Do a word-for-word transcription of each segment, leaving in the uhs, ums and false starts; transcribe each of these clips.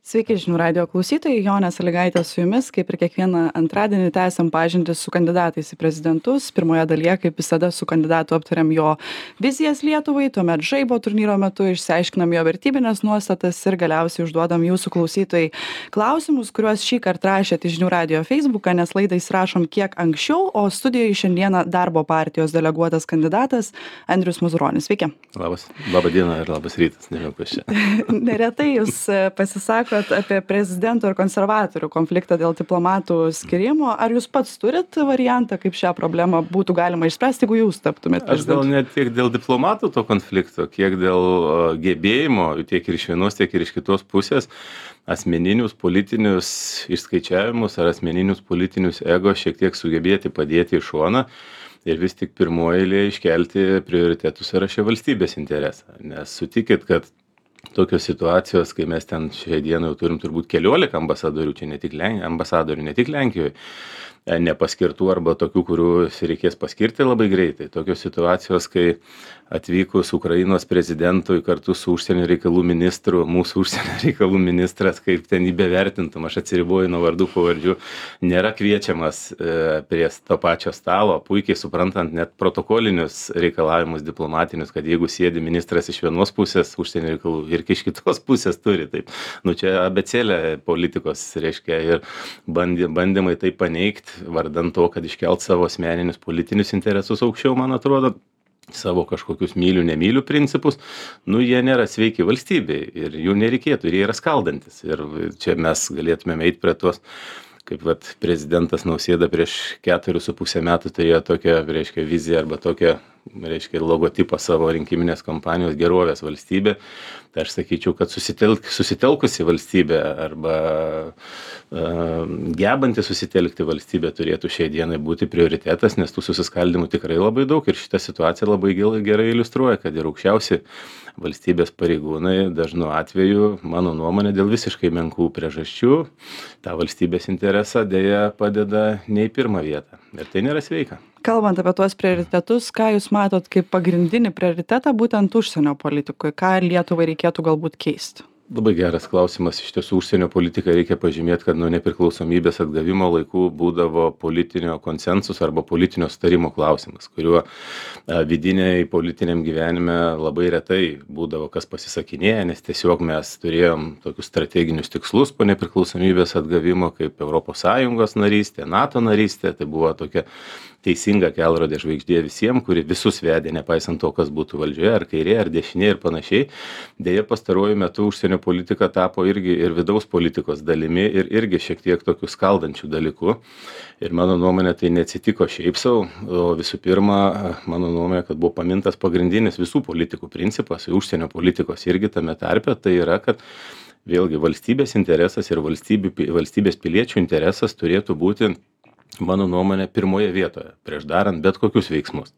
Sveiki žinių radijo klausytojai, Jonė Sąlygaitė su jumis, kaip ir kiekvieną antradienį tęsiam pažintis su kandidatais į prezidentus. Pirmoje dalyje, kaip visada, su kandidatu aptariam jo vizijas Lietuvai, tuomet žaibo turnyro metu išsiaiškinam jo vertybinės nuostatas ir galiausiai užduodam jūsų klausytojai klausimus, kuriuos šį kartą rašėte žinių radijo Facebooką, nes laidą įsirašom kiek anksčiau, o studijoje šiandieną darbo partijos deleguotas kandidatas Andrius Mazuronis. Sveiki. Labas, labą dieną ir labas rytas, nežinau kas čia. Neretai jūs pasisakot apie prezidento ir konservatorių konfliktą dėl diplomatų skyrimo. Ar jūs pats turit variantą, kaip šią problemą būtų galima išspręsti, jeigu jūs taptumėt prezidentu? Aš gal ne tiek dėl diplomatų to konflikto, kiek dėl uh, gebėjimo, tiek ir iš vienos, tiek ir iš kitos pusės, asmeninius politinius išskaičiavimus ar asmeninius politinius ego šiek tiek sugebėti padėti į šoną ir vis tik pirmoje eilėje iškelti prioritetų sąraše valstybės interesą. Nes sutikit, kad tokios situacijos, kai mes ten šiai dienai jau turim turbūt keliolika ambasadorių, čia ne tik Len... ambasadorių, ne tik Lenkijoje, nepaskirtų arba tokių, kurių reikės paskirti labai greitai. Tokios situacijos, kai atvykus Ukrainos prezidentui kartu su užsienio reikalų ministru, mūsų užsienio reikalų ministras, kaip ten jį bevertintum, aš atsiriboju nuo vardų pavardžių, nėra kviečiamas e, prie to pačio stalo, puikiai suprantant net protokolinius reikalavimus diplomatinius, kad jeigu sėdi ministras iš vienos pusės užsienio reikalų ir iš kitos pusės turi, taip, nu čia abecėlė politikos, reiškia, ir bandy, bandymai tai paneigti, vardant to, kad iškelt savo asmeninius politinius interesus aukščiau, man atrodo, savo kažkokius mylių, nemylių principus, nu jie nėra sveiki valstybei ir jų nereikėtų ir jie yra skaldantis. Ir čia mes galėtumėm eiti prie tos, kaip vat, prezidentas Nausėda prieš keturis su pusę metų turėjo tokią, reiškia, viziją arba tokią, reiškia, logotipą savo rinkiminės kampanijos gerovės valstybė. Tai aš sakyčiau, kad susitelk, susitelkusi valstybė arba uh, gebanti susitelkti valstybė turėtų šiai dienai būti prioritetas, nes tų susiskaldimų tikrai labai daug ir šitą situaciją labai gerai iliustruoja, kad ir aukščiausi valstybės pareigūnai dažnu atveju, mano nuomonė, dėl visiškai menkų priežasčių tą valstybės interesą dėja padeda ne į pirmą vietą. Ir tai nėra sveika. Kalbant apie tuos prioritetus, ką jūs matot kaip pagrindinį prioritetą būtent užsienio politikoje? Ką Lietuvai reikėtų galbūt keisti? Labai geras klausimas. Iš tiesų, užsienio politiką reikia pažymėti, kad nuo nepriklausomybės atgavimo laikų būdavo politinio konsensus arba politinio sutarimo klausimas, kuriuo vidiniai politiniam gyvenime labai retai būdavo kas pasisakinėja, nes tiesiog mes turėjom tokius strateginius tikslus po nepriklausomybės atgavimo, kaip Europos Sąjungos narystė, NATO narystė, tai buvo tokia teisinga kelrodė žvaigždė visiems, kuri visus vedė, nepaisant to, kas būtų valdžioje, ar kairė, ar dešinė ir panašiai. Deja, pastaruoju metu užsienio politika tapo irgi ir vidaus politikos dalimi ir irgi šiek tiek tokių skaldančių dalykų. Ir mano nuomonė, tai neatsitiko šiaip sau, o visų pirma, mano nuomonė, kad buvo pamintas pagrindinis visų politikų principas, užsienio politikos irgi tame tarpe, tai yra, kad vėlgi valstybės interesas ir valstybės piliečių interesas turėtų būti, mano nuomonė, pirmoje vietoje, prieš darant bet kokius veiksmus.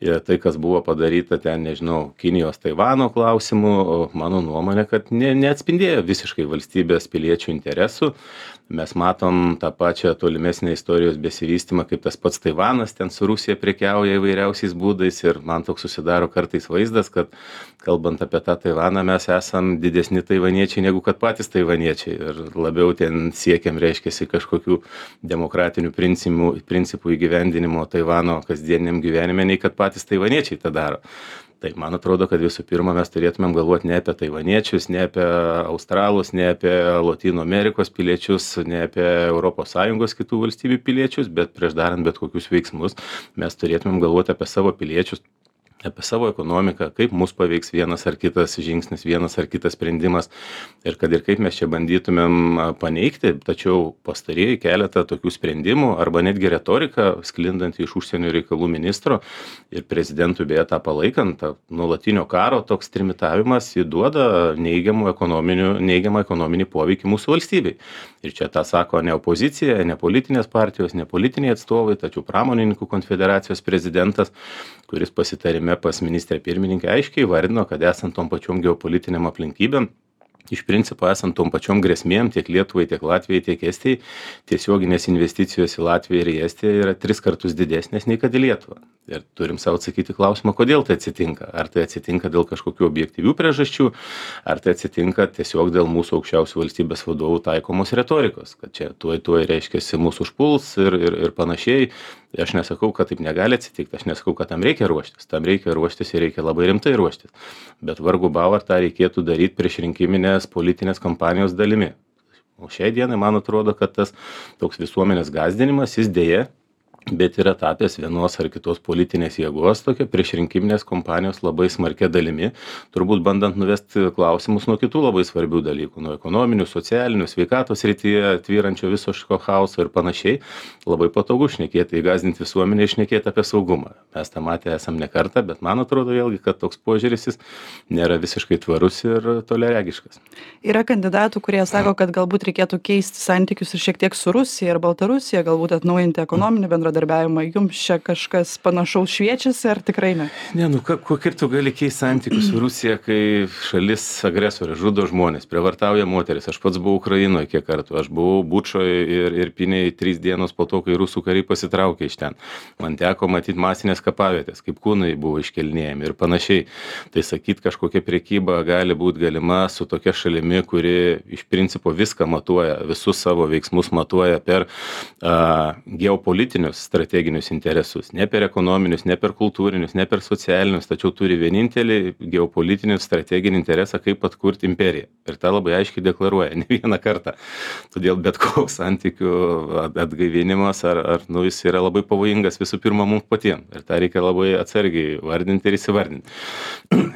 Ir tai, kas buvo padaryta ten, nežinau, Kinijos, Taivano klausimų, mano nuomonė, kad ne, neatspindėjo visiškai valstybės piliečių interesų. Mes matom tą pačią tolimesnę istorijos besivystymą, kaip tas pats Taivanas ten su Rusija prekiauja įvairiausiais būdais ir man toks susidaro kartais vaizdas, kad kalbant apie tą Taivaną, mes esam didesni taivaniečiai negu kad patys taivaniečiai ir labiau ten siekiam, reiškiasi, kažkokių demokratinių principų, principų įgyvendinimo Taivano kasdieniam gyvenime, nei kad patys taivaniečiai tą daro. Tai man atrodo, kad visų pirma mes turėtumėm galvoti ne apie taivaniečius, ne apie australus, ne apie Lotynų Amerikos piliečius, ne apie Europos Sąjungos kitų valstybių piliečius, bet prieš darant bet kokius veiksmus mes turėtumėm galvoti apie savo piliečius, apie savo ekonomiką, kaip mus paveiks vienas ar kitas žingsnis, vienas ar kitas sprendimas ir kad ir kaip mes čia bandytumėm paneigti, tačiau pastarieji keletą tokių sprendimų arba netgi retorika sklindant iš užsienio reikalų ministro ir prezidentų beje tą palaikant, tą nuolatinio karo toks trimitavimas įduoda neigiamų ekonominių, neigiamą ekonominį poveikį mūsų valstybei. Ir čia tą sako ne opozicija, ne politinės partijos, ne politiniai atstovai, tačiau pramonininkų konfederacijos prezidentas, kuris pasitarime pas ministrę pirmininkę aiškiai įvardino, kad esant tom pačiom geopolitiniam aplinkybėm, iš principo esant tom pačiom grėsmėm tiek Lietuvai, tiek Latvijai, tiek Estijai, tiesioginės investicijos į Latviją ir į Estiją yra tris kartus didesnės nei kad į Lietuvą. Ir turim sau atsakyti klausimą, kodėl tai atsitinka. Ar tai atsitinka dėl kažkokių objektyvių priežasčių, ar tai atsitinka tiesiog dėl mūsų aukščiausių valstybės vadovų taikomos retorikos, kad čia tuoj tuoj reiškiasi mūsų užpuls ir, ir, ir panašiai. Aš nesakau, kad taip negali atsitikti, aš nesakau, kad tam reikia ruoštis, tam reikia ruoštis ir reikia labai rimtai ruoštis. Bet vargu bau, ar tą reikėtų daryti prieš rinkiminės politinės kampanijos dalimi. O šiai dienai man atrodo, kad tas toks visuomenės gąsdinimas, jis dėja, bet yra tapęs vienos ar kitos politinės jėgos tokia priešrinkiminės kompanijos labai smarkia dalimi, turbūt bandant nuvesti klausimus nuo kitų labai svarbių dalykų, nuo ekonominių, socialinių, sveikatos srityje tvyrančio viso šio chaoso ir panašiai. Labai patogu šnekėti, įgąsdinti visuomenę, šnekėti apie saugumą. Mes tą matę esam ne kartą, bet man atrodo vėlgi, kad toks požiūris jis nėra visiškai tvarus ir toliaregiškas. Yra kandidatų, kurie sako, kad galbūt reikėtų keisti santykius ir šiek tiek su Rusija ir Baltarusija, galbūt atnaujinti ekonominį bendradarbiavimą. Jums čia kažkas panašaus šviečiasi, ar tikrai ne? Ne, nu ka, kaip tu gali keisti santykius su Rusija, kai šalis agresorė žudo žmonės, prievartauja moteris. Aš pats buvau Ukrainoje kiek kartų, aš buvau Bučoje ir, ir Piniai trys dienos po to, kai rusų kariai pasitraukė iš ten. Man teko matyti masinės kapavietės, kaip kūnai buvo iškelnėjami ir panašiai. Tai sakyt, kažkokia priekyba gali būti galima su tokia šalimi, kuri iš principo viską matuoja, visus savo veiksmus matuoja per a, geopolitinius strateginius interesus, ne per ekonominius, ne per kultūrinius, ne per socialinius, tačiau turi vienintelį geopolitinį strateginį interesą, kaip atkurti imperiją. Ir tą labai aiškiai deklaruoja, ne vieną kartą. Todėl bet koks santykių atgaivinimas ar, ar nu, jis yra labai pavojingas visų pirma mums patiems. Ir tą reikia labai atsargiai vardinti ir įsivardinti.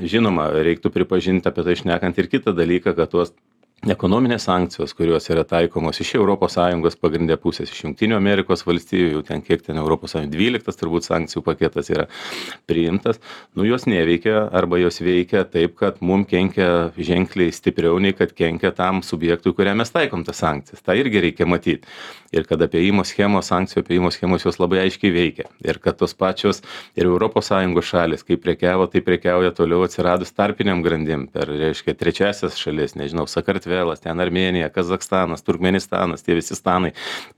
Žinoma, reiktų pripažinti apie tai šnekant ir kitą dalyką, kad tuos ekonominės sankcijos, kurios yra taikomos iš Europos Sąjungos pagrindė pusės, iš Jungtinių Amerikos valstijų, jau ten kiek ten Europos Sąjungos dvyliktas turbūt sankcijų paketas yra priimtas, nu jos neveikia arba jos veikia taip, kad mum kenkia ženkliai stipriau nei kad kenkia tam subjektui, kuriam mes taikom tas sankcijas. Ta irgi reikia matyti. Ir kad apėjimo schemos, sankcijų apėjimo schemos jos labai aiškiai veikia. Ir kad tos pačios ir Europos Sąjungos šalis, kaip prekiavo, tai prekiauja toliau atsiradus tarpiniam grandim per, reiškia, trečiasias šalis, nežinau, Sakartvelas, ten Armėnija, Kazakstanas, Turkmenistanas, tie visi stanai.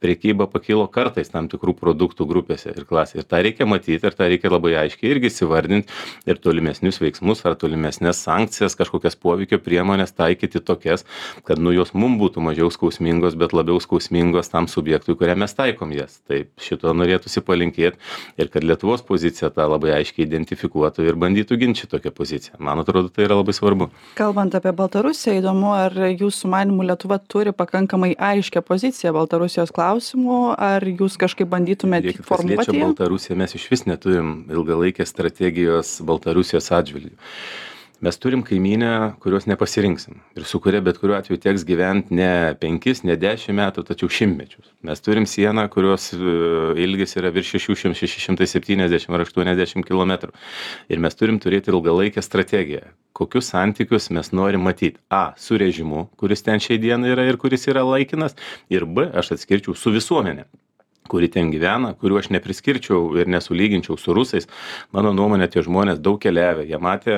Prekyba pakilo kartais tam tikrų produktų grupėse ir klasėse. Ir tą reikia matyti, ir tą reikia labai aiškiai irgi įsivardinti ir tolimesnius veiksmus ar tolimesnės sankcijas, kažkokias poveikio priemonės taikyti tokias, kad nu jos mum būtų mažiau skausmingos, bet labiau skausmingos tam subjektui, kuriam mes taikom jas. Taip šito norėtųsi palinkėti ir kad Lietuvos pozicija tą labai aiškiai identifikuotų ir bandytų ginti šitokią poziciją. Man atrodo, tai yra labai svarbu. Kalbant apie Baltarusiją, įdomu, ar jūsų manimų Lietuva turi pakankamai aiškią poziciją Baltarusijos klausimų, ar jūs kažkaip bandytumėte formuoti? Kas liečia Baltarusiją, mes iš vis neturim ilgalaikės strategijos Baltarusijos atžvilgiu. Mes turim kaimynę, kurios nepasirinksim ir su kuria bet kuriuo atveju teks gyventi ne penkis, ne dešimt metų, tačiau šimtmečius. Mes turim sieną, kurios ilgis yra virš šeši šimtai, šeši šimtai septyniasdešimt ar aštuoniasdešimt kilometrų. Ir mes turim turėti ilgalaikę strategiją. Kokius santykius mes norim matyti? A, su režimu, kuris ten šiai dienai yra ir kuris yra laikinas. Ir B, aš atskirčiau su visuomenė, kuri ten gyvena, kuriuo aš nepriskirčiau ir nesulyginčiau su rusais. Mano nuomonė, tie žmonės daug keliavę, jie matė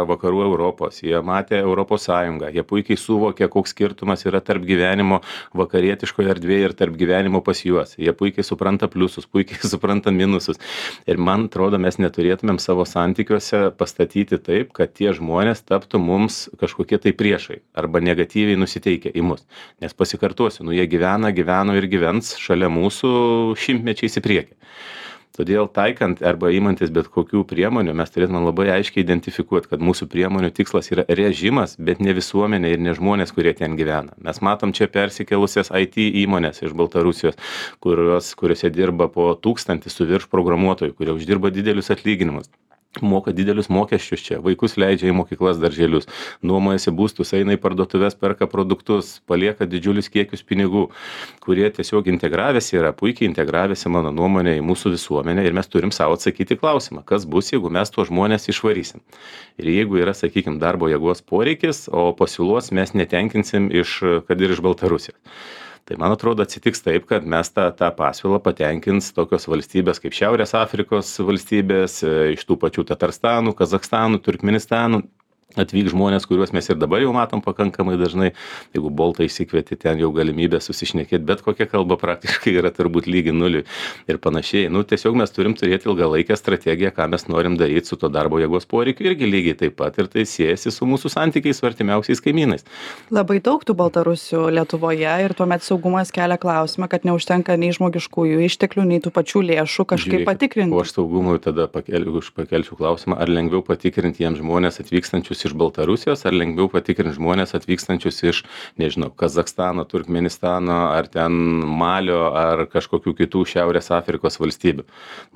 vakarų Europos, jie matė Europos Sąjungą, jie puikiai suvokė, koks skirtumas yra tarp gyvenimo vakarietiškoje erdvėje ir tarp gyvenimo pas juos. Jie puikiai supranta pliusus, puikiai supranta minusus. Ir man atrodo, mes neturėtumėm savo santykiuose pastatyti taip, kad tie žmonės taptų mums kažkokie tai priešai arba negatyviai nusiteikę į mus. Nes pasikartosiu, nu jie gyvena, gyveno ir gyvens šalia mūsų šimtmečiais į priekį. Todėl taikant arba imantis bet kokių priemonių, mes turėtume labai aiškiai identifikuoti, kad mūsų priemonių tikslas yra režimas, bet ne visuomenė ir ne žmonės, kurie ten gyvena. Mes matom čia persikelusias I T įmonės iš Baltarusijos, kurios, kuriuose dirba po tūkstantį su virš programuotojų, kurie uždirba didelius atlyginimus. Moka didelius mokesčius čia, vaikus leidžia į mokyklas, darželius, nuomojasi būstus, eina į parduotuves, perka produktus, palieka didžiulius kiekius pinigų, kurie tiesiog integravęsi yra, puikiai integravęsi, mano nuomonė, į mūsų visuomenę ir mes turim savo atsakyti klausimą, kas bus, jeigu mes tuos žmonės išvarysim. Ir jeigu yra, sakykime, darbo jėgos poreikis, o pasiūlos mes netenkinsim iš, kad ir iš Baltarusijos. Tai man atrodo atsitiks taip, kad mes tą, tą pasiūlą patenkins tokios valstybės kaip Šiaurės Afrikos valstybės, iš tų pačių Tatarstanų, Kazakstanų, Turkmenistanų, atvyks žmonės, kuriuos mes ir dabar jau matom pakankamai dažnai. Jeigu Boltą išsikvieti, ten jau galimybė susišnekėti, bet kokia kalba praktiškai yra turbūt lygi nuliui ir panašiai. Nu, tiesiog mes turim turėti ilgalaikę strategiją, ką mes norim daryti su to darbo jėgos poreikiu irgi lygiai taip pat. Ir tai siejasi su mūsų santykiais su artimiausiais kaimynais. Labai daug tų baltarusių Lietuvoje ir tuomet saugumas kelia klausimą, kad neužtenka nei žmogiškųjų išteklių, nei tų pačių lėšų kažkaip Žiūrėkit, patikrinti. O aš saugumui tada pakelčiau, pakelčiau klausimą, ar lengviau patikrinti jiems žmonės atvykstančius iš Baltarusijos, ar lengviau patikrinti žmonės atvykstančius iš, nežinau, Kazakstano, Turkmenistano, ar ten Malio, ar kažkokių kitų Šiaurės Afrikos valstybių.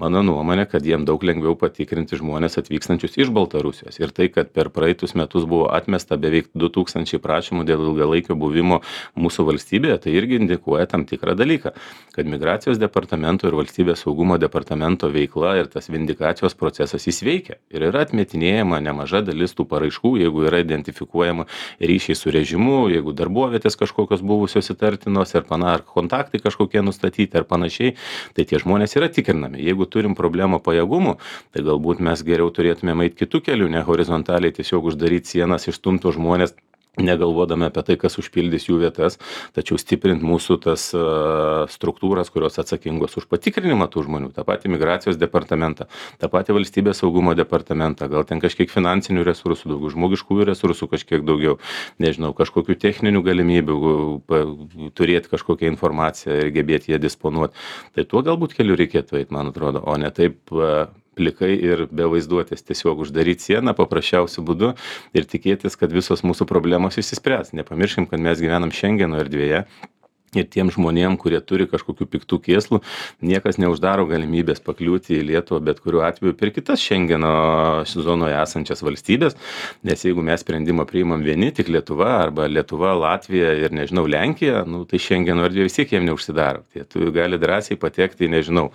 Mano nuomonė, kad jiems daug lengviau patikrinti žmonės atvykstančius iš Baltarusijos. Ir tai, kad per praeitus metus buvo atmesta beveik du tūkstančiai prašymų dėl ilgalaikio buvimo mūsų valstybėje, tai irgi indikuoja tam tikrą dalyką, kad migracijos departamento ir valstybės saugumo departamento veikla ir tas vindikacijos procesas jis veikia. Ir yra atmetinėjama nemaža dalis tų paraiškų, jeigu yra identifikuojama ryšiai su režimu, jeigu darbovietės kažkokios buvusios įtartinos ir pana, ar kontaktai kažkokie nustatyti ar panašiai, tai tie žmonės yra tikrinami. Jeigu turim problemą pajėgumų, tai galbūt mes geriau turėtume eiti kitų kelių, ne horizontaliai tiesiog uždaryti sienas, išstumti žmonės, negalvodami apie tai, kas užpildys jų vietas, tačiau stiprint mūsų tas uh, struktūras, kurios atsakingos už patikrinimą tų žmonių, tą patį migracijos departamentą, tą patį valstybės saugumo departamentą, gal ten kažkiek finansinių resursų daugiau, žmogiškųjų resursų kažkiek daugiau, nežinau, kažkokių techninių galimybių pa, turėti kažkokią informaciją ir gebėti ją disponuoti. Tai tuo galbūt keliu reikėtų eiti, man atrodo, o ne taip uh, plikai ir be vaizduotės tiesiog uždaryti sieną paprasčiausiu būdu ir tikėtis, kad visos mūsų problemos išsispręs. Nepamirškim, kad mes gyvenam Šengeno erdvėje. Ir tiem žmonėm, kurie turi kažkokių piktų kėslų, niekas neuždaro galimybės pakliūti į Lietuvą bet kuriuo atveju per kitas Šengeno zonoje esančias valstybės, nes jeigu mes sprendimą priimam vieni, tik Lietuva arba Lietuva, Latvija ir, nežinau, Lenkija, nu, tai Šengeno erdvė vis tiek jiem neužsidaro. Tai tu gali drąsiai patekti, nežinau,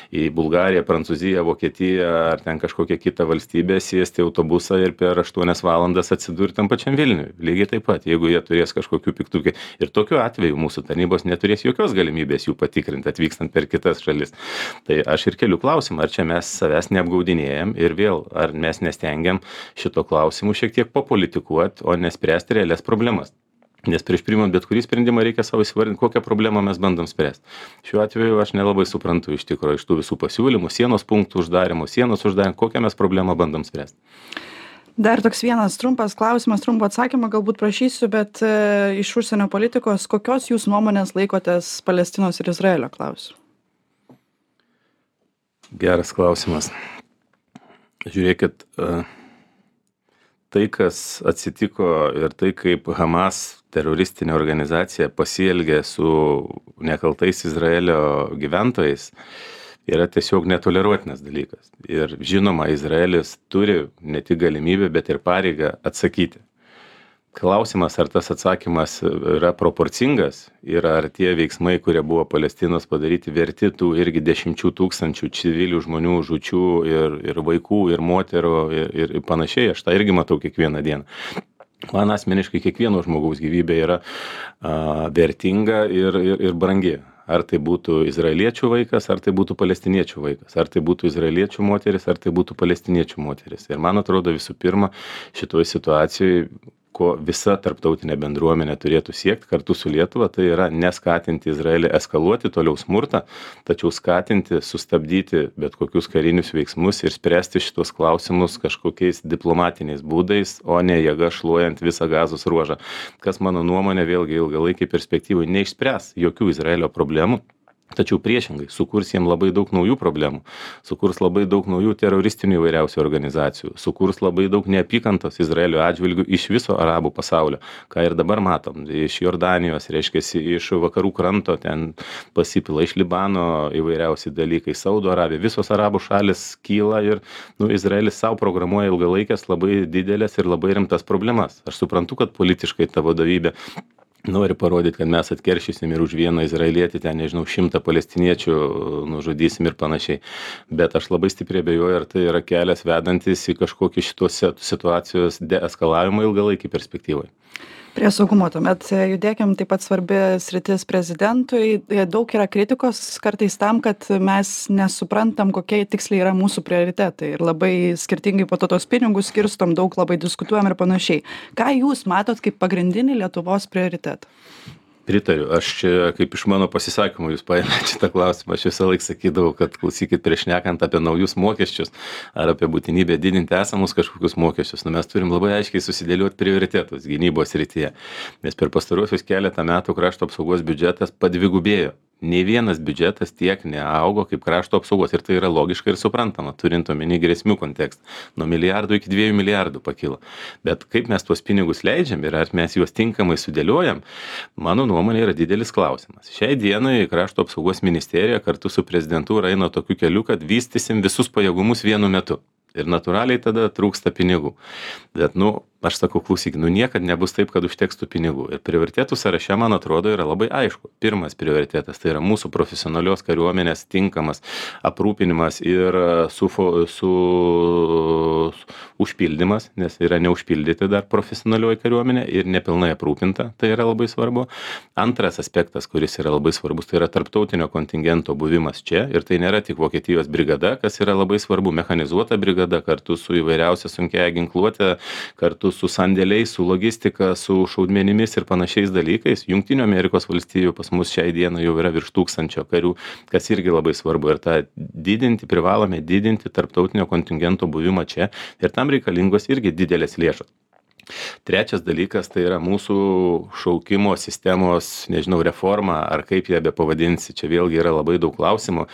į Bulgariją, Prancūziją, Vokietiją ar ten kažkokią kitą valstybę, sėsti autobusą ir per aštuonias valandas atsidurti tam pačiam Vilniui. Lygiai taip pat, jeigu jie turės kažkokių piktų kėslų. Ir tokiu atveju mūsų tarnybos neturės jokios galimybės jų patikrinti atvykstant per kitas šalis. Tai aš ir keliu klausimą, ar čia mes savęs neapgaudinėjam ir vėl, ar mes nestengiam šito klausimu šiek tiek papolitikuoti, o nespręsti realias problemas. Nes prieš priimant bet kurį sprendimą reikia savo įsivardinti, kokią problemą mes bandom spręsti. Šiuo atveju aš nelabai suprantu iš tikrųjų iš tų visų pasiūlymų, sienos punktų uždarimo, sienos uždarimo, kokią mes problemą bandom spręsti. Dar toks vienas trumpas klausimas, trumpo atsakymą galbūt prašysiu, bet e, iš užsienio politikos, kokios jūs nuomonės laikotės Palestinos ir Izraelio klausimu? Geras klausimas. Žiūrėkit, e, tai, kas atsitiko ir tai, kaip Hamas teroristinė organizacija pasielgė su nekaltais Izraelio gyventojais, yra tiesiog netoleruotinas dalykas. Ir žinoma, Izraelis turi ne tik galimybę, bet ir pareigą atsakyti. Klausimas, ar tas atsakymas yra proporcingas ir ar tie veiksmai, kurie buvo Palestinos padaryti, verti tų irgi dešimčių tūkstančių civilių žmonių žūčių ir, ir vaikų, ir moterų ir, ir panašiai. Aš tą irgi matau kiekvieną dieną. Man asmeniškai kiekvieno žmogaus gyvybė yra a, vertinga ir, ir, ir brangi. Ar tai būtų izraeliečių vaikas, ar tai būtų palestiniečių vaikas, ar tai būtų izraeliečių moteris, ar tai būtų palestiniečių moteris. Ir man atrodo visų pirma, šitoje situacijoje, ko visa tarptautinė bendruomenė turėtų siekti kartu su Lietuva, tai yra neskatinti Izraelį eskaluoti toliau smurtą, tačiau skatinti, sustabdyti bet kokius karinius veiksmus ir spręsti šitos klausimus kažkokiais diplomatiniais būdais, o ne jėga šluojant visą Gazos ruožą. Kas mano nuomonė vėlgi ilgalaikiai perspektyvai neišspręs jokių Izraelio problemų. Tačiau priešingai, sukurs jiem labai daug naujų problemų, sukurs labai daug naujų teroristinių įvairiausių organizacijų, sukurs labai daug neapykantos Izraelio atžvilgių iš viso arabų pasaulio, ką ir dabar matom, iš Jordanijos, reiškiasi, iš vakarų kranto, ten pasipila iš Libano įvairiausi dalykai, Saudo Arabija, visos arabų šalis kyla ir nu, Izraelis savo programuoja ilgalaikės labai didelės ir labai rimtas problemas. Aš suprantu, kad politiškai ta vadovybė nori parodyti, kad mes atkeršysim ir už vieną izraelietį, ten, nežinau, šimtą palestiniečių nužudysim ir panašiai. Bet aš labai stipriai abejoju, ar tai yra kelias vedantis į kažkokį šitos situacijos deeskalavimą ilgalaikį perspektyvai. Prie saugumo tuomet judėkim, taip pat svarbi sritis prezidentui. Daug yra kritikos kartais tam, kad mes nesuprantam, kokie tiksliai yra mūsų prioritetai ir labai skirtingai po to tos pinigus skirstom, daug labai diskutuojam ir panašiai. Ką jūs matot kaip pagrindinį Lietuvos prioritetą? Pritariu. Aš čia, kaip iš mano pasisakymų, jūs paėmėte šitą klausimą, aš visą laiką sakydavau, kad klausykit, prieš šnekant apie naujus mokesčius ar apie būtinybę didinti esamus kažkokius mokesčius, nu mes turim labai aiškiai susidėlioti prioritetus gynybos srityje. Nes per pastaruosius keletą metų krašto apsaugos biudžetas padvigubėjo. Nei vienas biudžetas tiek neaugo kaip krašto apsaugos ir tai yra logiška ir suprantama, turint omeny grėsmių kontekstą. Nuo milijardų iki dviejų milijardų pakilo. Bet kaip mes tuos pinigus leidžiam ir ar mes juos tinkamai sudėliojam, mano nuomonė yra didelis klausimas. Šiai dienai krašto apsaugos ministerija kartu su prezidentūra eina tokiu keliu, kad vystysim visus pajėgumus vienu metu. Ir natūraliai tada trūksta pinigų. Bet, nu, aš sakau, klausyk, nu niekad nebus taip, kad užteks tų pinigų. Ir prioritetų sąraše, man atrodo, yra labai aišku. Pirmas prioritetas tai yra mūsų profesionalios kariuomenės tinkamas aprūpinimas ir su, su užpildymas, nes yra neužpildyti dar profesionalioji kariuomenė ir nepilnai aprūpinta. Tai yra labai svarbu. Antras aspektas, kuris yra labai svarbus, tai yra tarptautinio kontingento buvimas čia. Ir tai nėra tik Vokietijos brigada, kas yra labai svarbu, mechanizuota brigada kartu su įvairiausia sunkiaja ginkluotė, kartu su sandėliais, su logistika, su šaudmenimis ir panašiais dalykais. Jungtinių Amerikos valstijų pas mus šiai dienai jau yra virš tūkstančio karių, kas irgi labai svarbu. Ir tą didinti, privalome didinti tarptautinio kontingento buvimą čia ir tam reikalingos irgi didelės lėšos. Trečias dalykas tai yra mūsų šaukimo sistemos, nežinau, reforma, ar kaip ją be pavadinsi. Čia vėlgi yra labai daug klausimų.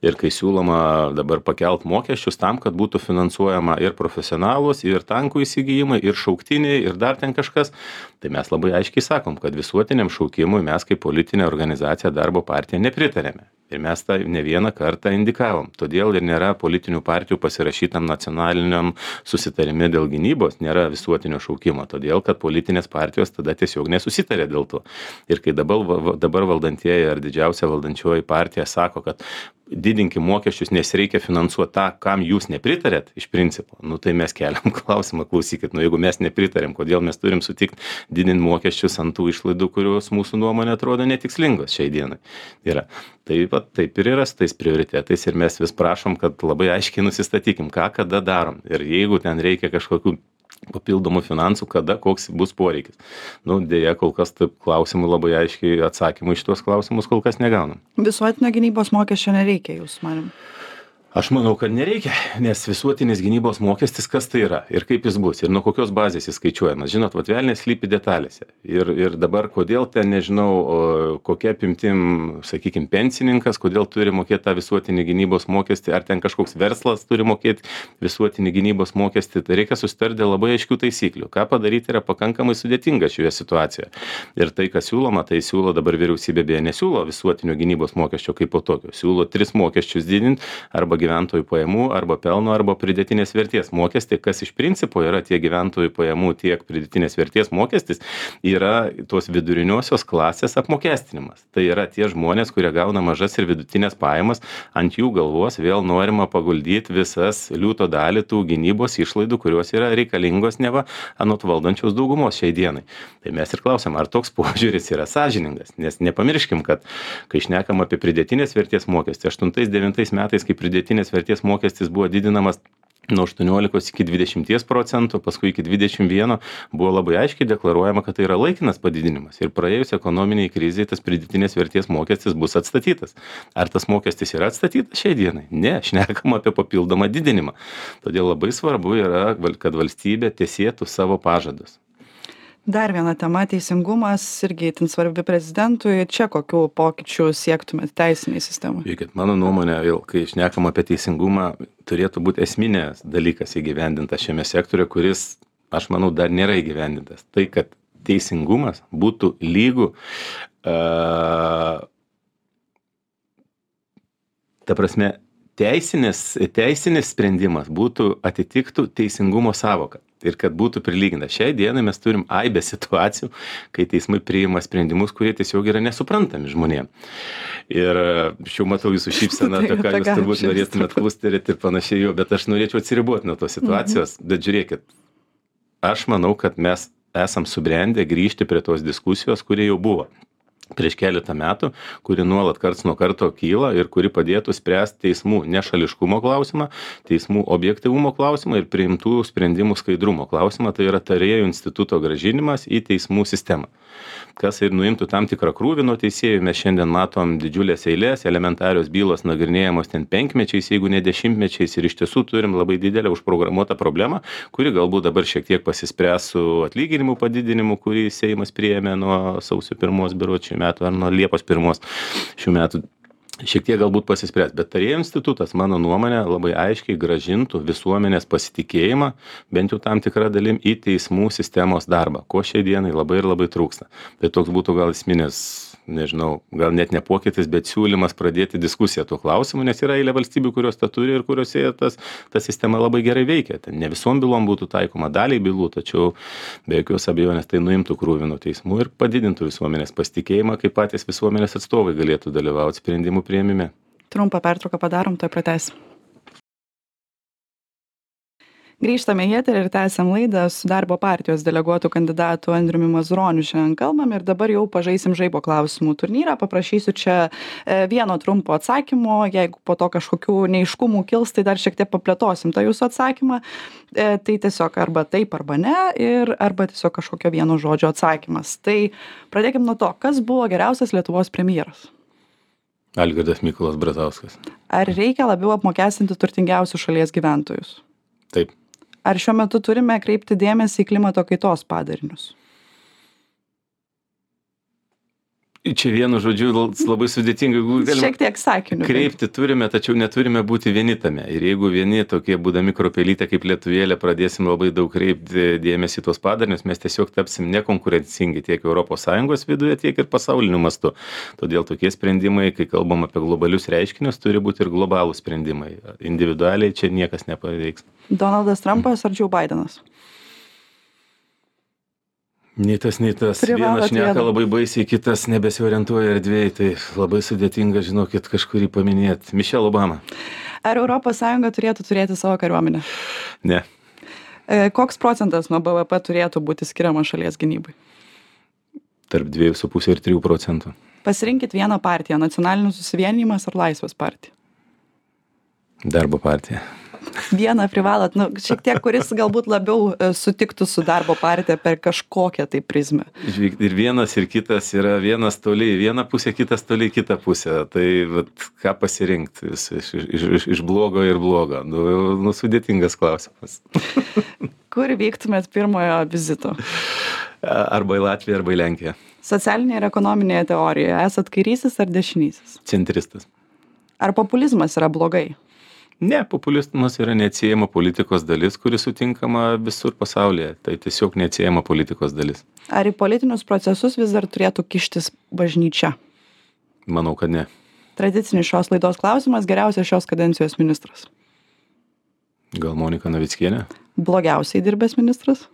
Ir kai siūloma dabar pakelt mokesčius tam, kad būtų finansuojama ir profesionalus, ir tankų įsigijimai, ir šauktiniai, ir dar ten kažkas, tai mes labai aiškiai sakom, kad visuotiniam šaukimui mes kaip politinė organizacija Darbo partija nepritarėme. Ir mes tą ne vieną kartą indikavom. Todėl ir nėra politinių partijų pasirašytam nacionaliniam susitarime dėl gynybos, nėra visuotinio šaukimo. Todėl, kad politinės partijos tada tiesiog nesusitarė dėl to. Ir kai dabar, dabar valdantieji ar didžiausia valdančioji partija sako, kad didinkim mokesčius, nes reikia finansuoti tą, kam jūs nepritarėt iš principo, nu tai mes keliam klausimą, klausykit, nu jeigu mes nepritarėm, kodėl mes turim sutikti didinti mokesčius ant tų išlaidų, kurios mūsų nuomonė atrodo netikslingos šiai dienai. Yra. Taip pat taip ir yra su tais prioritetais ir mes vis prašom, kad labai aiškiai nusistatykim, ką kada darom. Ir jeigu ten reikia kažkokių papildomų finansų, kada koks bus poreikis. Nu, dėja, kol kas taip klausimų labai aiškiai atsakymų iš tuos klausimus kol kas negaunam. Visuotinio gynybos mokesčio nereikia, jūsų manim? Aš manau, kad nereikia, nes visuotinis gynybos mokestis, kas tai yra ir kaip jis bus ir nuo kokios bazės jis skaičiuojamas. Žinot, vat velnias slypi detalėse. Ir, ir dabar kodėl ten, nežinau, kokia apimtim, sakykime, pensininkas, kodėl turi mokėti tą visuotinį gynybos mokestį, ar ten kažkoks verslas turi mokėti visuotinį gynybos mokestį. Tai reikia susitarti dėl labai aiškių taisyklių. Ką padaryti yra pakankamai sudėtinga šioje situacijoje. Ir tai, kas siūloma, tai siūlo dabar vyriausybė beje nesiūlo visuotinio gynybos mokesčio kaip po tokio. Siūlo tris mokesčius didinti arba gyventojų pajamų, arba pelno, arba pridėtinės vertės mokestį, kas iš principo yra tiek gyventojų pajamų, tiek pridėtinės vertės mokestis, yra tos viduriniosios klasės apmokestinimas. Tai yra tie žmonės, kurie gauna mažas ir vidutinės pajamas, ant jų galvos vėl norima paguldyti visas liūto dalį tų gynybos išlaidų, kurios yra reikalingos neva anot valdančios daugumos šiai dienai. Tai mes ir klausiam, ar toks požiūris yra sąžiningas, nes nepamirškim, kad kai šnekam apie pridėtinės vertės mokestį, aštuntais devintais metais, kai pridėtinės vertės mokestis buvo didinamas nuo aštuoniolikos iki dvidešimties procentų, paskui iki dvidešimt vieno, buvo labai aiškiai deklaruojama, kad tai yra laikinas padidinimas. Ir praėjus ekonominiai krizai tas pridėtinės vertės mokestis bus atstatytas. Ar tas mokestis yra atstatytas šiai dienai? Ne, šnekam apie papildomą didinimą. Todėl labai svarbu yra, kad valstybė tesėtų savo pažadus. Dar viena tema - teisingumas, irgi itin svarbi prezidentui. Čia kokių pokyčių siektumėt teisiniai sistemai? Žiūrėkit, mano nuomonė, vėl, kai šnekam apie teisingumą, turėtų būti esminės dalykas įgyvendintas šiame sektoriuje, kuris, aš manau, dar nėra įgyvendintas. Tai, kad teisingumas būtų lygų, uh, ta prasme, teisinis, teisinis sprendimas būtų atitiktų teisingumo savoką. Ir kad būtų prilyginta. Šiai dienai mes turim aibę situacijų, kai teismai priima sprendimus, kurie tiesiog yra nesuprantami žmonėm. Ir šiuo matau jūsų šypseną, apie ką jūs turbūt norėtumėt klusterėti ir panašiai jo, bet aš norėčiau atsiriboti nuo tos situacijos. Bet žiūrėkit, aš manau, kad mes esam subrendę grįžti prie tos diskusijos, kuri jau buvo prieš keletą metų, kuri nuolat karts nuo karto kyla ir kuri padėtų spręsti teismų nešališkumo klausimą, teismų objektyvumo klausimą ir priimtų sprendimų skaidrumo klausimą, tai yra tarėjų instituto grąžinimas į teismų sistemą. Kas ir nuimtų tam tikrą krūvį nuo teisėjų, mes šiandien matom didžiulės eilės, elementarios bylos nagrinėjamos ten penkmečiais, jeigu ne dešimtmečiais, ir iš tiesų turim labai didelę užprogramuotą problemą, kuri galbūt dabar šiek tiek pasispręs su atlyginimų padidinimu, kurį Seimas priėmė nuo sausio pirmos berods šių metų ar nuo Liepos pirmos šių metų. Šiek tiek galbūt pasispręs, bet tarėjų institutas, mano nuomonė, labai aiškiai grąžintų visuomenės pasitikėjimą, bent jau tam tikrą dalim, į teismų sistemos darbą, ko šiai dienai labai ir labai trūksta. Tai toks būtų gal esminis, nežinau, gal net ne pokytis, bet siūlymas pradėti diskusiją tuo klausimu, nes yra eilė valstybių, kurios tą turi ir kuriuose tas, ta sistema labai gerai veikia. Ten ne visom bylom būtų taikoma, daliai bylų, tačiau be jokios abejonės tai nuimtų krūvį nuo teismų ir padidintų visuomenės pasitikėjimą, kaip patys visuomenės atstovai galėtų dalyvauti sprendimų priėmime. Trumpą pertrauką padarom, tai pratęsim. Grįžtame į eterį ir tęsiam laidą su Darbo partijos deleguotų kandidatu Andriumi Mazuroniu. Šiandien kalbam ir dabar jau pažaisim žaibo klausimų turnyrą. Paprašysiu čia vieno trumpo atsakymo. Jeigu po to kažkokių neaiškumų kils, tai dar šiek tiek paplėtosim tą jūsų atsakymą. Tai tiesiog arba taip, arba ne, ir arba tiesiog kažkokio vieno žodžio atsakymas. Tai pradėkim nuo to, kas buvo geriausias Lietuvos premjeras? Algirdas Mykolas Brazauskas. Ar reikia labiau apmokestinti turtingiausius šalies gyventojus? Taip. Ar šiuo metu turime kreipti dėmesį į klimato kaitos padarinius? Čia vienu žodžiu labai sudėtingai. Šiek tiek sakiniu. Kreipti turime, tačiau neturime būti vieni tame. Ir jeigu vieni tokie būdami kruopelytė kaip lietuvėlė pradėsim labai daug kreipti dėmesį į tuos padarinius, mes tiesiog tapsim nekonkurencingi tiek Europos Sąjungos viduje, tiek ir pasauliniu mastu. Todėl tokie sprendimai, kai kalbam apie globalius reiškinius, turi būti ir globalūs sprendimai. Individualiai čia niekas nepaveiks. Donaldas Trumpas ar Joe Bidenas? Nei tas, nei tas. Privalot Vienas šneka vieną. labai baisiai, kitas nebesiorientuoja erdvėj, tai labai sudėtinga, žinokit, kažkurį paminėti. Michelle Obama. Ar Europos Sąjunga turėtų turėti savo kariuomenę? Ne. E, koks procentas nuo B V P turėtų būti skiriamas šalies gynybai? Tarp dviejų su pusė ir trijų procentų. Pasirinkit vieną partiją, Nacionalinis susivienijimas ar Laisvės partija? Darbo partija. Vieną privalot, nu, šiek tiek, kuris galbūt labiau e, sutiktų su Darbo partija per kažkokią tai prizmę. Žvyk- Ir vienas, ir kitas yra vienas toli į vieną pusę, kitas toli į kitą pusę. Tai vat, ką pasirinkti iš, iš, iš, iš, iš blogo ir blogo? Nu, nu, sudėtingas klausimas. Kur vyktumėt pirmojo vizito? Arba į Latviją, arba į Lenkiją. Socialinėje ir ekonominėje teorijoje esat kairysis ar dešinysis? Centristas. Ar populizmas yra blogai? Ne, populizmas yra neatsiejama politikos dalis, kuri sutinkama visur pasaulyje. Tai tiesiog neatsiejama politikos dalis. Ar į politinius procesus vis dar turėtų kištis bažnyčia? Manau, kad ne. Tradicinis šios laidos klausimas, geriausias šios kadencijos ministras. Gal Monika Navickienė? Blogiausiai dirbęs ministras?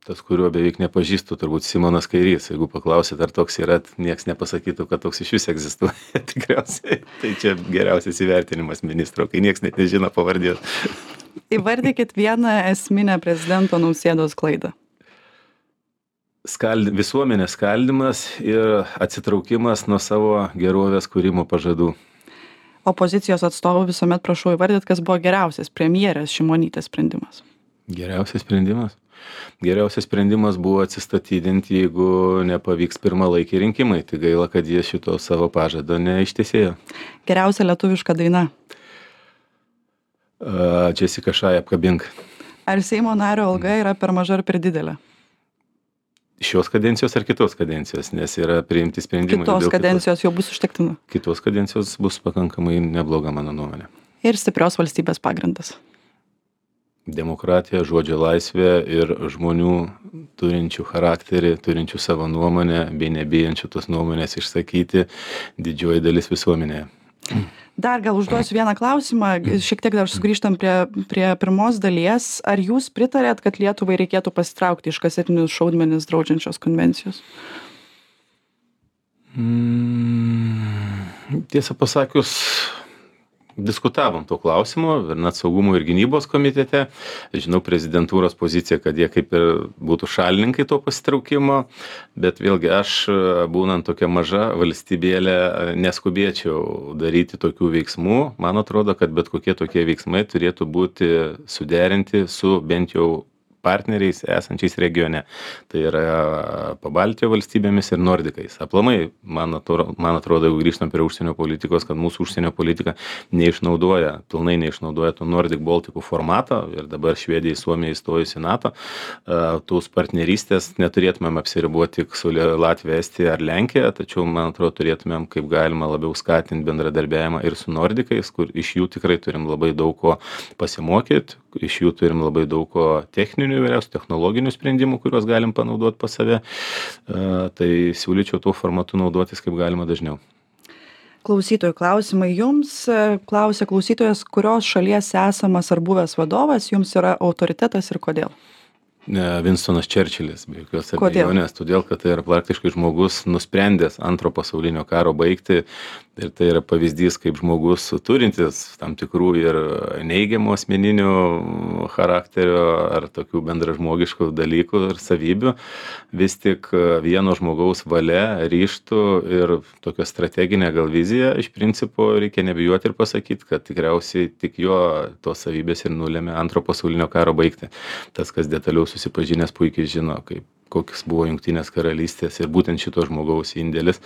Tas, kuriuo beveik nepažįstu, turbūt Simonas Kairys. Jeigu paklausit, ar toks yra, nieks nepasakytų, kad toks iš vis egzistuoja. Tikriausiai. Tai čia geriausias įvertinimas ministro, kai nieks net nežino pavardės. Įvardykit vieną esminę prezidento Nausėdos klaidą. Skald... Visuomenės skaldimas ir atsitraukimas nuo savo gerovės kūrimo pažadų. Opozicijos atstovų visuomet prašau įvardyt, kas buvo geriausias premjerės Šimonytės sprendimas. Geriausias sprendimas? Geriausias sprendimas buvo atsistatydinti, jeigu nepavyks pirmalaikiai rinkimai. Tai gaila, kad jie šito savo pažado neištesėjo. Geriausia lietuviška daina. Uh, Jessica Shy, Apkabink. Ar Seimo nario alga yra per maža ar per didelė? Šios kadencijos ar kitos kadencijos, nes yra priimti sprendimai. Kitos dėl kadencijos jau bus užtektina. Kitos kadencijos bus pakankamai nebloga, mano nuomonė. Ir stiprios valstybės pagrindas. Demokratija, žodžio laisvė ir žmonių turinčių charakterį, turinčių savo nuomonę, bei nebijančių tos nuomonės išsakyti didžioji dalis visuomenėje. Dar gal užduosiu vieną klausimą, šiek tiek dar sugrįžtam prie, prie pirmos dalies. Ar jūs pritarėt, kad Lietuvai reikėtų pasitraukti iš kasetinius šaudmenis draudžiančios konvencijos? Mm, tiesą pasakius, Diskutavom tuo klausimu ir net saugumo ir gynybos komitete. Žinau prezidentūros poziciją, kad jie kaip ir būtų šalininkai to pasitraukimo, bet vėlgi aš, būnant tokia maža valstybėlė, neskubėčiau daryti tokių veiksmų. Man atrodo, kad bet kokie tokie veiksmai turėtų būti suderinti su bent jau partneriais esančiais regione. Tai yra Pabaltijo valstybėmis ir Nordikais. Aplamai, man atrodo, man atrodo, jeigu grįžtam prie užsienio politikos, kad mūsų užsienio politika neišnaudoja, pilnai neišnaudoja to Nordic Baltikų formato ir dabar Švedija, Suomija įstojus į NATO, tos partnerystės neturėtumėm apsiriboti tik su Latvija, Estija ar Lenkija, tačiau, man atrodo, turėtumėm kaip galima labiau skatinti bendradarbiavimą ir su Nordikais, kur iš jų tikrai turim labai daug ko pasimokyti, iš jų turim labai daug ko techninių įvairiausių technologinių sprendimų, kuriuos galim panaudoti pas save. Tai siūlyčiau tuo formatu naudotis kaip galima dažniau. Klausytojų klausimai jums. Klausia klausytojas, kurios šalies esamas ar buvęs vadovas jums yra autoritetas ir kodėl? Winstonas Churchillis, be jokios abejonės, todėl, kad tai yra praktiškai žmogus nusprendęs antro pasaulinio karo baigti ir tai yra pavyzdys, kaip žmogus turintis tam tikrų ir neigiamų asmeninių charakterio ar tokių bendražmogiškų dalykų ir savybių, vis tik vieno žmogaus valia, ryžtų ir tokia strateginė gal vizija, iš principo reikia nebijoti ir pasakyti, kad tikriausiai tik jo tos savybės ir nulėmė antro pasaulinio karo baigti. Tas, kas detaliau susipažinęs puikiai žino, kaip kokios buvo Jungtinės karalystės ir būtent šito žmogaus indėlis.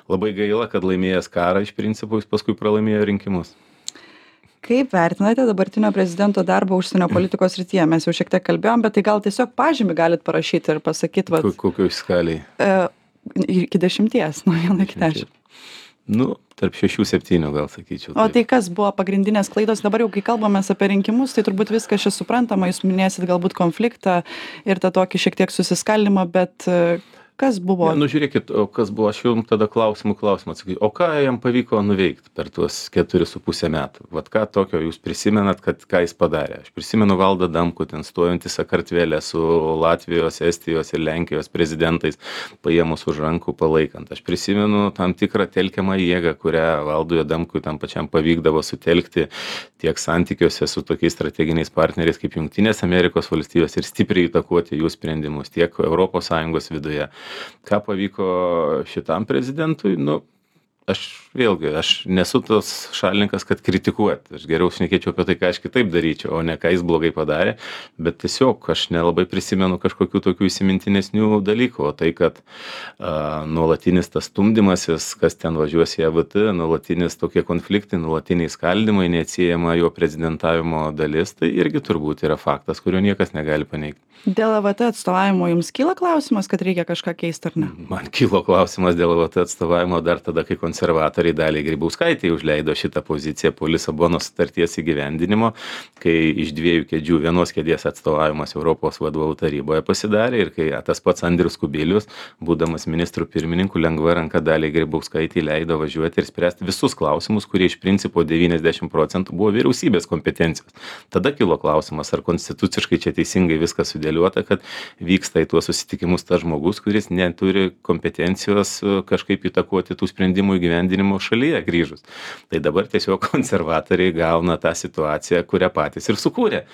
Labai gaila, kad laimėjęs karą iš principo jis paskui pralaimėjo rinkimus. Kaip vertinate dabartinio prezidento darbą užsienio politikos srityje? Mes jau šiek tiek kalbėjom, bet tai gal tiesiog pažymį galit parašyti ir pasakyti, vat, Kokioj skaliai? E, iki dešimties, nuo vieno iki dešimt. Nu, tarp šešių, septynių gal sakyčiau. O tai kas buvo pagrindinės klaidos? Dabar jau, kai kalbamės apie rinkimus, tai turbūt viskas čia suprantama, jūs minėsit galbūt konfliktą ir tą tokį šiek tiek susiskaldimą, bet kas buvo? Ne, nu žiūrėkit, o kas buvo, aš jums tada klausimų klausimą atsakysiu. O ką jam pavyko nuveikti per tuos keturis su pusę metų? Vat ką tokio jūs prisimenat, kad ką jis padarė? Aš prisimenu Valdą Adamkų, ten stojantį Sakartvelę su Latvijos, Estijos ir Lenkijos prezidentais, paėmus už rankų palaikant. Aš prisimenu tam tikrą telkiamą jėgą, kurią Valdui Adamkui tam pačiam pavykdavo sutelkti tiek santykiuose su tokiais strateginiais partneriais kaip Jungtinės Amerikos valstijos ir stipriai įtakoti jų sprendimus tiek Europos Sąjungos viduje. Ką pavyko šitam prezidentui? Nu, aš vėlgi, aš nesu tas šalininkas, kad kritikuoti. Aš geriau šnekėčiau apie tai, ką aš kitaip daryčiau, o ne ką jis blogai padarė. Bet tiesiog aš nelabai prisimenu kažkokių tokių įsimintinesnių dalykų. O tai, kad a, nuolatinis tas stumdymasis, kas ten važiuos į E V T, nuolatinis tokie konfliktai, nuolatiniai skaldymai, neatsiejama jo prezidentavimo dalis, tai irgi turbūt yra faktas, kurio niekas negali paneigti. Dėl E V T atstovavimo jums kyla klausimas, kad reikia kažką keisti ar ne? Man kilo klausimas dėl E V T atstovavimo dar tada, kai konservatoriai Daliai Grybauskaitei užleido šitą poziciją po Lisabonos sutarties įgyvendinimo, kai iš dviejų kėdžių vienos kėdės atstovavimas Europos vadovų taryboje pasidarė ir kai tas pats Andrius Kubilius, būdamas ministrų pirmininku, lengva ranka Daliai Grybauskaitei leido važiuoti ir spręsti visus klausimus, kurie iš principo devyniasdešimt procentų buvo vyriausybės kompetencijos. Tada kilo klausimas, ar konstituciškai čia teisingai viskas sudėliota, kad vyksta į tuos susitikimus tas žmogus, kuris neturi kompetencijos kažkaip įtakoti tų sprendimų įgyvendinimo šalyje grįžus. Tai dabar tiesiog konservatoriai gauna tą situaciją, kurią patys ir sukūrė.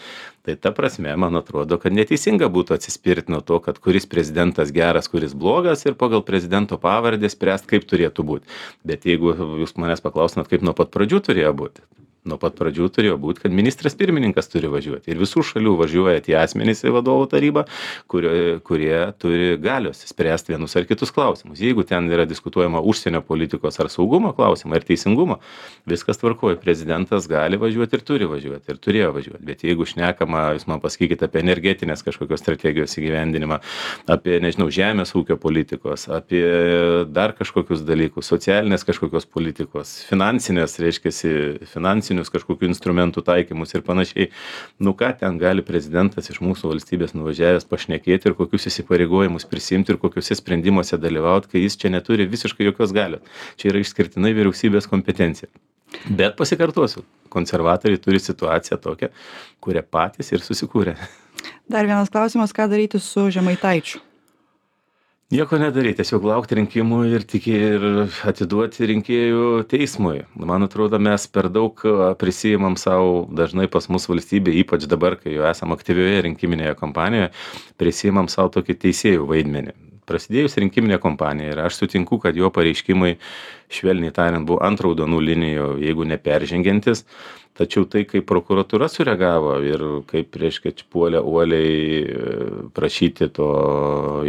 Tai ta prasme, man atrodo, kad neteisinga būtų atsispirti nuo to, kad kuris prezidentas geras, kuris blogas ir pagal prezidento pavardę spręst, kaip turėtų būti. Bet jeigu jūs manęs paklausnat, kaip nuo pat pradžių turėjo būti, nuo pat pradžių turėjo būti, kad ministras pirmininkas turi važiuoti. Ir visų šalių važiuoja tie asmenys į vadovų tarybą, kurie, kurie turi galios spręsti vienus ar kitus klausimus. Jeigu ten yra diskutuojama užsienio politikos ar saugumo klausimą ar teisingumo, viskas tvarkoja. Prezidentas gali važiuoti ir turi važiuoti ir turėjo važiuoti. Bet jeigu šnekama, jūs man pasakykite apie energetinės kažkokios strategijos įgyvendinimą, apie, nežinau, žemės ūkio politikos, apie dar kažkokius dalykus, socialinės kažkokios politikos, finansinės, reiškia, finansinių kažkokių instrumentų taikymus ir panašiai. Nu ką ten gali prezidentas iš mūsų valstybės nuvažiavęs pašnekėti ir kokius įsipareigojimus prisimti ir kokiuose sprendimuose dalyvauti, kai jis čia neturi visiškai jokios galios. Čia yra išskirtinai vyriausybės kompetencija. Bet pasikartosiu, konservatoriai turi situaciją tokią, kurią patys ir susikūrė. Dar vienas klausimas, ką daryti su Žemaitaičiu? Nieko nedaryt, tiesiog laukti rinkimų ir tikė ir atiduoti rinkėjų teismui. Man atrodo, mes per daug a, prisiimam sau dažnai pas mus valstybė, ypač dabar, kai jau esam aktyvioje rinkiminėje kampanijoje, prisiimam sau tokį teisėjų vaidmenį. Prasidėjus rinkiminė kampanija ir aš sutinku, kad jo pareiškimai, švelniai tariant, buvo ant raudonų linijų, jeigu neperžengiantis. Tačiau tai, kaip prokuratūra sureagavo ir kaip, reiškia, puolė uoliai e, prašyti to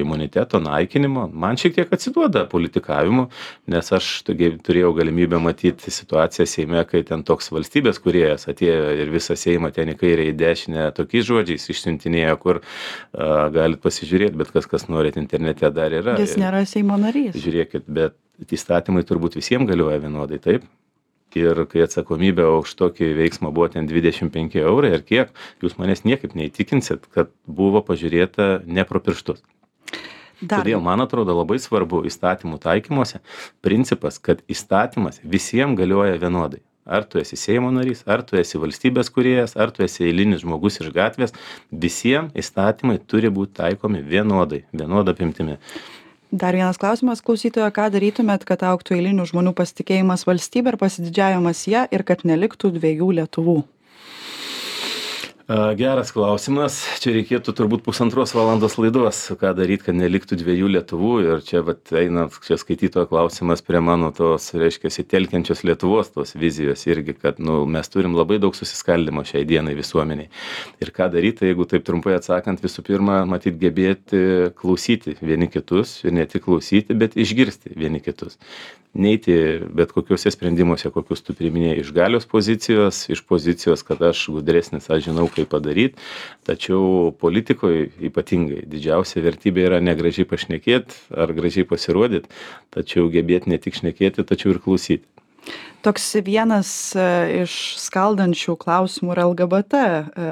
imuniteto naikinimo, man šiek tiek atsiduoda politikavimu, nes aš togi turėjau galimybę matyti situaciją Seime, kai ten toks valstybės kūrėjas atėjo ir visą Seimą ten į kairę į dešinę tokiais žodžiais išsiuntinėjo, kur a, galit pasižiūrėti, bet kas, kas norit internete dar yra. Jis nėra Seimo narys. Žiūrėkit, bet įstatymai turbūt visiems galioja vienodai, taip? Ir kai atsakomybė už tokį veiksmą buvo ten dvidešimt penki eurai ar kiek, jūs manęs niekaip neįtikinsit, kad buvo pažiūrėta ne pro pirštus. Dar. Todėl, man atrodo, labai svarbu įstatymų taikymuose principas, kad įstatymas visiems galioja vienodai. Ar tu esi Seimo narys, ar tu esi valstybės kūrėjas, ar tu esi eilinis žmogus iš gatvės, visiems įstatymai turi būti taikomi vienodai, vienoda apimtimi. Dar vienas klausimas klausytojo, ką darytumėt, kad augtų eilinių žmonių pasitikėjimas valstybė ir pasididžiavimas ją ir kad neliktų dviejų Lietuvų? Geras klausimas. Čia reikėtų turbūt pusantros valandos laidos, ką daryti, kad neliktų dviejų Lietuvų. Ir čia vat, eina čia skaitytojo klausimas prie mano tos, reiškia, telkiančios Lietuvos tos vizijos irgi, kad nu, mes turim labai daug susiskaldimo šiai dienai visuomeniai. Ir ką daryti, jeigu taip trumpai atsakant, visų pirma, matyt, gebėti klausyti vieni kitus ir ne tik klausyti, bet išgirsti vieni kitus. Neiti bet kokiuose sprendimuose, kokius tu priminėjai iš galios pozicijos, iš pozicijos, kad aš gudresnis, aš žinau, kaip padaryti. Tačiau politikoje ypatingai didžiausia vertybė yra ne gražiai pašnekėti ar gražiai pasirodyti, tačiau gebėti ne tik šnekėti, tačiau ir klausyti. Toks vienas iš skaldančių klausimų yra L G B T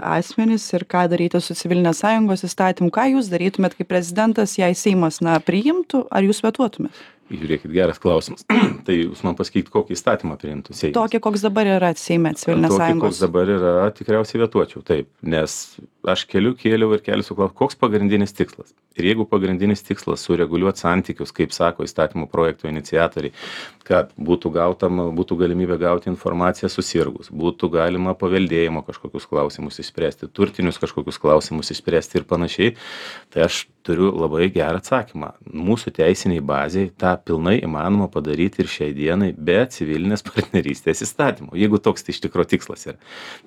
asmenys ir ką daryti su civilinės sąjungos įstatymu. Ką jūs darytumėt kaip prezidentas, jei Seimas na, priimtų, ar jūs vetuotumėt? Žiūrėkit, geras klausimas. Tai jūs man pasakykit, kokį įstatymą priimtų Seimas. Tokį, koks dabar yra Seime civilinės Tokį, sąjungos. koks dabar yra, tikriausiai vetuočiau, taip. Nes aš keliu, kėliau ir keliu su klausimu, koks pagrindinis tikslas. Ir jeigu pagrindinis tikslas sureguliuoti santykius, kaip sako įstatymų projekto iniciatoriai, kad būtų, gautama, būtų galimybė gauti informaciją susirgus, būtų galima paveldėjimo kažkokius klausimus išspręsti, turtinius kažkokius klausimus išspręsti ir panašiai, tai aš turiu labai gerą atsakymą. Mūsų teisiniai baziai tą pilnai įmanoma padaryti ir šiai dienai be civilinės partnerystės įstatymų, jeigu toks tai iš tikro tikslas yra.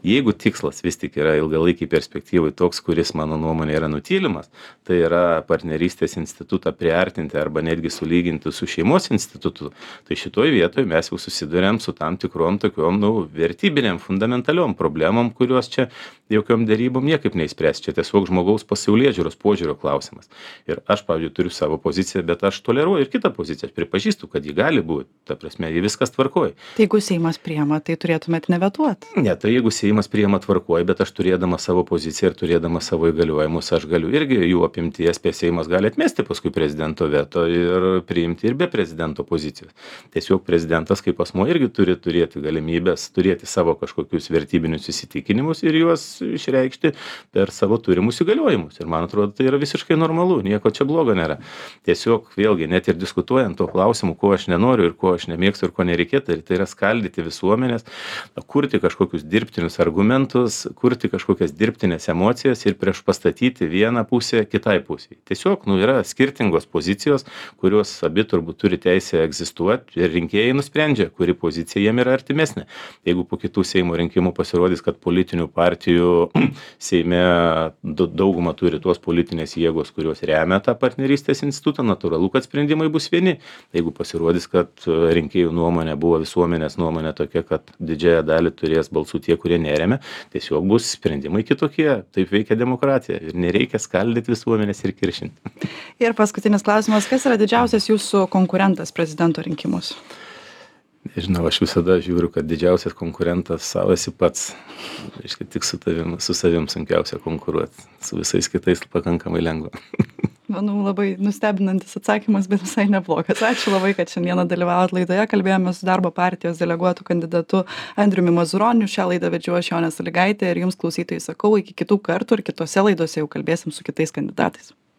Jeigu tikslas vis tik yra ilgalaikiai perspektyvai toks, kuris mano nuomonė yra nutylimas, tai yra partnerystės institutą priartinti arba netgi sulyginti su šeimos institutu, tai šitoj vietoj mes jau susiduriam su tam tikrom tokiom, nu, vertybinėm, fundamentaliom problemom, kurios čia jokiom dėrybom niekaip neįspręs. Čia tiesiog žmogaus pasaulėžiūros požiūrio klausimas. Ir aš, pavyzdžiui, turiu savo poziciją, bet aš toleruoju ir kitą poziciją. Aš pripažįstu, kad ji gali būti. Ta prasme, ji viskas tvarkoja. Tai jeigu Seimas priima, tai turėtumėt nevetuoti? Ne, tai jeigu Seimas priima tvarkoja, bet aš turėdama savo poziciją ir turėdama savo įgaliojimus, aš galiu irgi jų apimties, prie Seimas gali atmesti paskui prezidento veto ir priimti ir be prezidento pozicijos. Tiesiog prezidentas kaip asmuo irgi turi turėti galimybės, turėti savo kažkokius vertybinius įsitikinimus ir juos išreikšti per savo turimus įgaliojimus. Ir man atrodo, tai yra visiškai normalu, nieko čia blogo nėra. Tiesiog vėlgi, net ir diskutuojant to klausimu, ko aš nenoriu ir ko aš nemėgstu ir ko nereikėtų, tai yra skaldyti visuomenės, kurti kažkokius dirbtinius argumentus, kurti kažkokias dirbtinės emocijas ir prieš pastatyti vieną pusę kitai pusei. Tiesiog, nu, yra skirtingos pozicijos, kurios abi turbūt turi teisę egzistuoti ir rinkėjai nusprendžia, kuri pozicija jiem yra artimesnė. Jeigu po kitų Seimo rinkimų pasirodys, kad politinių partijų Seime daugumą turi tos politinės jėgos, kurios remia tą partnerystės institutą, natūralu, kad sprendimai bus vieni. Jeigu pasirodys, kad rinkėjų nuomonė buvo visuomenės nuomonė tokia, kad didžiąją dalį turės balsų tie, kurie neremia, tiesiog bus sprendimai kitokie. Taip veikia demokratija ir nereikia skaldyti visuomenės ir kiršinti. Ir paskutinis klausimas, kas yra didžiausias jūsų konkurentas prezidento rinkimus? Nežinau, aš visada žiūriu, kad didžiausias konkurentas savo esi pats. Reiškia, tik su tavim, su savim sunkiausia konkuruoti. Su visais kitais pakankamai lengva. Manau, labai nustebinantis atsakymas, bet visai neblogas. Ačiū labai, kad šiandieną dalyvavot laidoje. Kalbėjome su darbo partijos deleguotų kandidatu Andriumi Mazuroniu. Šią laidą vedžiau aš, Jonė Sąlygaitė, ir jums klausytojai sakau, iki kitų kartų ir kitose laidose jau kalbėsim su kitais kandidatais.